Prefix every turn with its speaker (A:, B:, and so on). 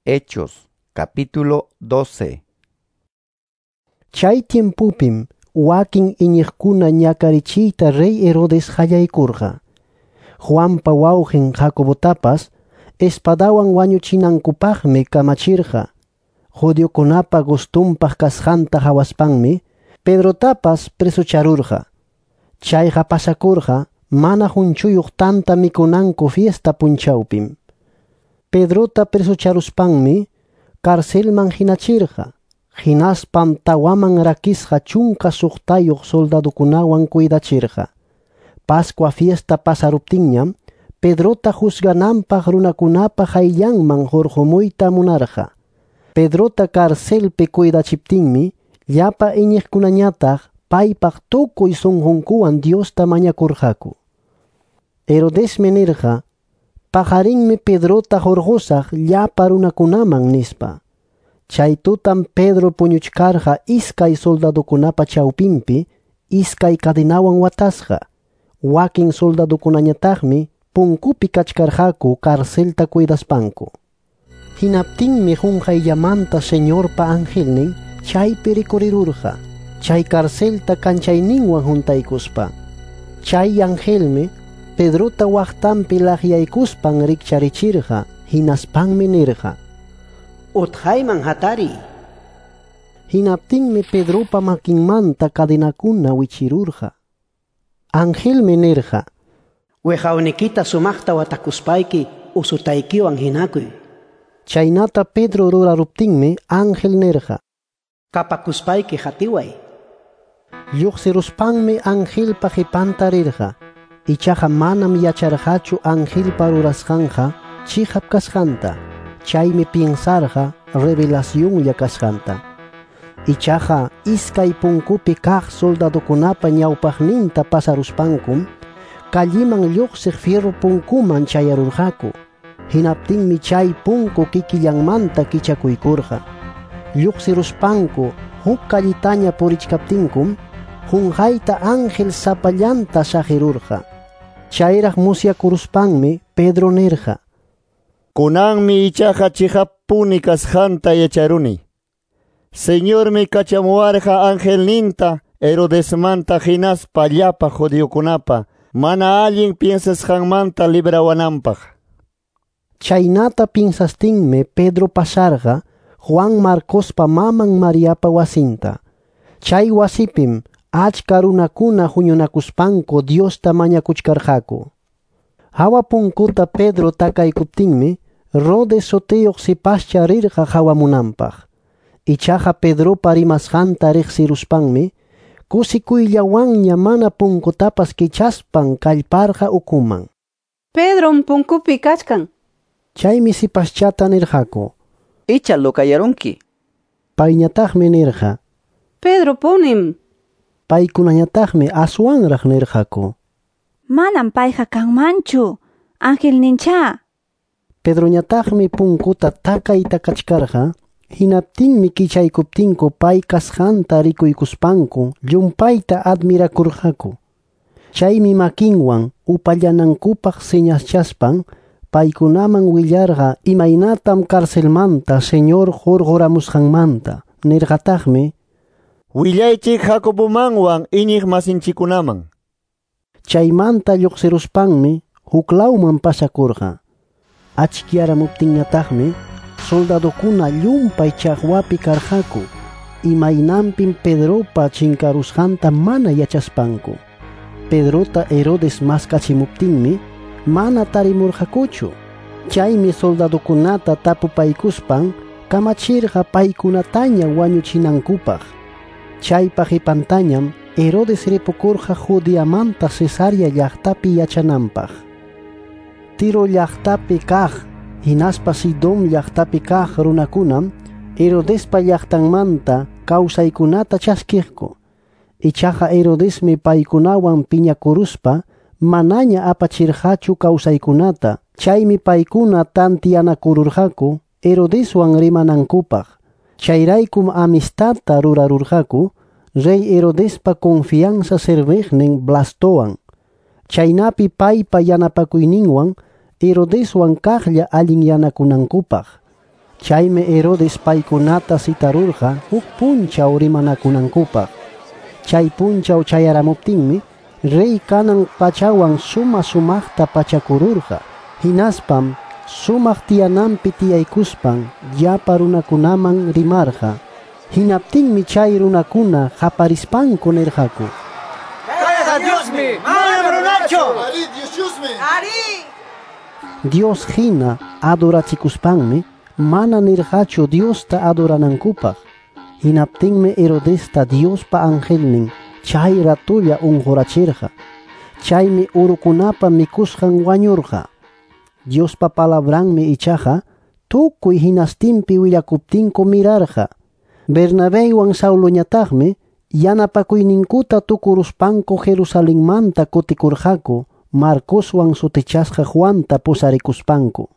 A: Hechos capítulo 12.
B: Chay tiempupim wakin iñiqkuna ñakarichiyta rey Herodes qallaykurqa. Juanpa wawqin Jacobotapas espadawan wañuchinankupaqmi kamachirqa. Judiokunapa gustunpaq kasqanta hawaspanmi Pedrotapas presocharurqa. Chayqa pasakurqa mana hunchuyuq tanta mikunanku fiesta punchawpim. Pedrota presocharuspanmi carcelman hinachirqa. Hinaspam tawaman rakisqa 16 soldadukunawan cuidachirqa. Pascua fiesta pasaruptinñam Pedrota juzgananpaq runakunapa qayllanman hurqumuyta munarqa. Pedrota carcelpi cuidachiptinmi llapa iñiqkunañataq paypaq tukuy sunqunkuwan Diosta mañakurqaku. Herodesmi nirqa, paqarinmi Pedrota hurqusaq llapa runakunaman nispa. Chay tutam Pedro puñuchkarqa iskay soldadukunapa chawpinpi, iskay cadenawan watasqa. Wakin soldadukunañataqmi punkupi kachkarqaku carcelta cuidaspanku. Hinaptinmi qunqayllamanta Señorpa angelnin chaypi rikurirurqa, chay carcelta kanchayninwan juntaykuspa. Chay angelmi Pedrota waqtanpi laqyaykuspan rikcharichirqa, hinaspanmi nirqa:
C: Utqayman hatariy.
B: Hinaptinmi Pedropa makinmanta cadenakuna wichirurqa. Angelmi nirqa:
C: Wiqawnikita sumaqta watakuspayki usutaykiwan hinakuy.
B: Chaynata Pedro ruraruptinmi ángel nirqa:
C: Kapakuspayki hatiway.
B: Lluqsiruspanmi angelpa qipanta rirqa. Ichaqa manam yacharqachu angelpa rurasqanqa chiqap kasqanta. Chaymi piensarqa revelacionlla kasqanta. Ichaqa iskay punkupi kaq soldadukunapa ñawpaqninta pasaruspankum calliman lluqsiq fierro punkuman chayarurqaku. Hinaptinmi chay punku kikillanmanta kichakuykurqa. Lluqsiruspanku huk kallitaña purichkaptinkum qunqayta ángel sapallanta saqirurqa. Chayraq musyakuruspanmi Pedro nirqa:
D: Kunanmi ichaqa chiqapuni kasqanta yacharuni. Señormi kachamuwarqa angelninta Herodesmanta hinaspa llapa judiokunapa mana allin piensasqanmanta librawananpaq.
B: Chaynata piensastinmi Pedro pasarqa Juan Marcospa maman Mariapa wasinta. Chay wasipim achka runakuna huñunakuspanku Diosta mañakuchkarqaku. Hawa punkuta Pedro takaykuptinmi Rode sutiyuq sipascha rirqa hawamunanpaq. Ichaqa Pedropa rimasqanta riqsiruspanmi kusikuyllawanña mana punkutapas kichaspan kallparqa ukuman.
E: Pedrom punkupi kachkan.
B: Chaymi sipaschata nirqaku:
F: Icha lokayarunki.
B: Payñataqmi nirqa:
E: Pedro punim.
B: Paykunañataqmi aswanraq nirqaku:
G: Manam payqa kanmanchu, angelnincha.
B: Pedroñataqmi punkuta takay takachkarqa. Hinaptinmi kichaykuptinku pay kasqanta rikuykuspanku llumpayta admirakurqaku. Chaymi makinwan upallanankupaq señaschaspan paykunaman willarqa imaynatam carcelmanta Señor hurquramusqanmanta. Nirqataqmi:
D: Willaychik Jacobomanwan iñiq masinchikunaman.
B: Chaymanta lluqsiruspanmi huklawman pasakurqa. Achkiyaramuptinñataqmi soldadukuna llumpay chaqwapi karqaku, imaynanpim Pedropa chinkarusqanta mana yachaspanku. Pedrota Herodes maskachimuptinmi mana tarimurqakuchu. Chaymi soldadukunata tapupaykuspan kamachirqa paykunataña wañuchinankupaq. Chaypa qipantañam Herodes ripukurqa Judeamanta Cesarea llaqtapi yachananpaq. Tiro llaqtapi kaq hinaspa Sidón llaqtapi kaq runakunam Herodespa llaqtanmanta kawsaykunata chaskiqku. Ichaqa Herodesmi paykunawan piñakuruspa manaña apachirqachu kawsaykunata. Chaymi paykuna tantiyanakururqaku Herodeswan rimanankupaq. Chayraykum amistadta rurarurqaku rey Herodespa confianza serviqnin Blastowan. Chaynapi paypa yanapakuyninwan Herodeswan kaqlla allinyanakunankupaq. Chaymi Herodes paykunata citarurqa huk punchaw rimanakunankupaq. Chay punchaw chayaramuptinmi rey kanan pachawan suma sumaqta pachakururqa. Hinaspam sumaq tiyananpi tiyaykuspan llapa runakunaman rimarqa. Hinaptinmi chay runakuna qaparispanku nirqaku:
H: Kayqa Diosmi, manam runachu.
I: Arí, Diosmi.
H: Arí.
B: Dios hina adorachikuspanmi mana nirqachu Diosta adoranankupaq. Hinaptinmi Herodesta Diospa angelnin chay ratulla unqurachirqa. Chaymi urukunapa mikusqan wañurqa. Diospa palabranmi ichaqa tukuy hinastinpi willakuptinku mirarqa. Bernabéwan Sauloñataqmi yanapakuyninkuta tukuruspanku Jerusalenmanta kutikurqaku Marcoswan sutichasqa Juanta pusarikuspanku.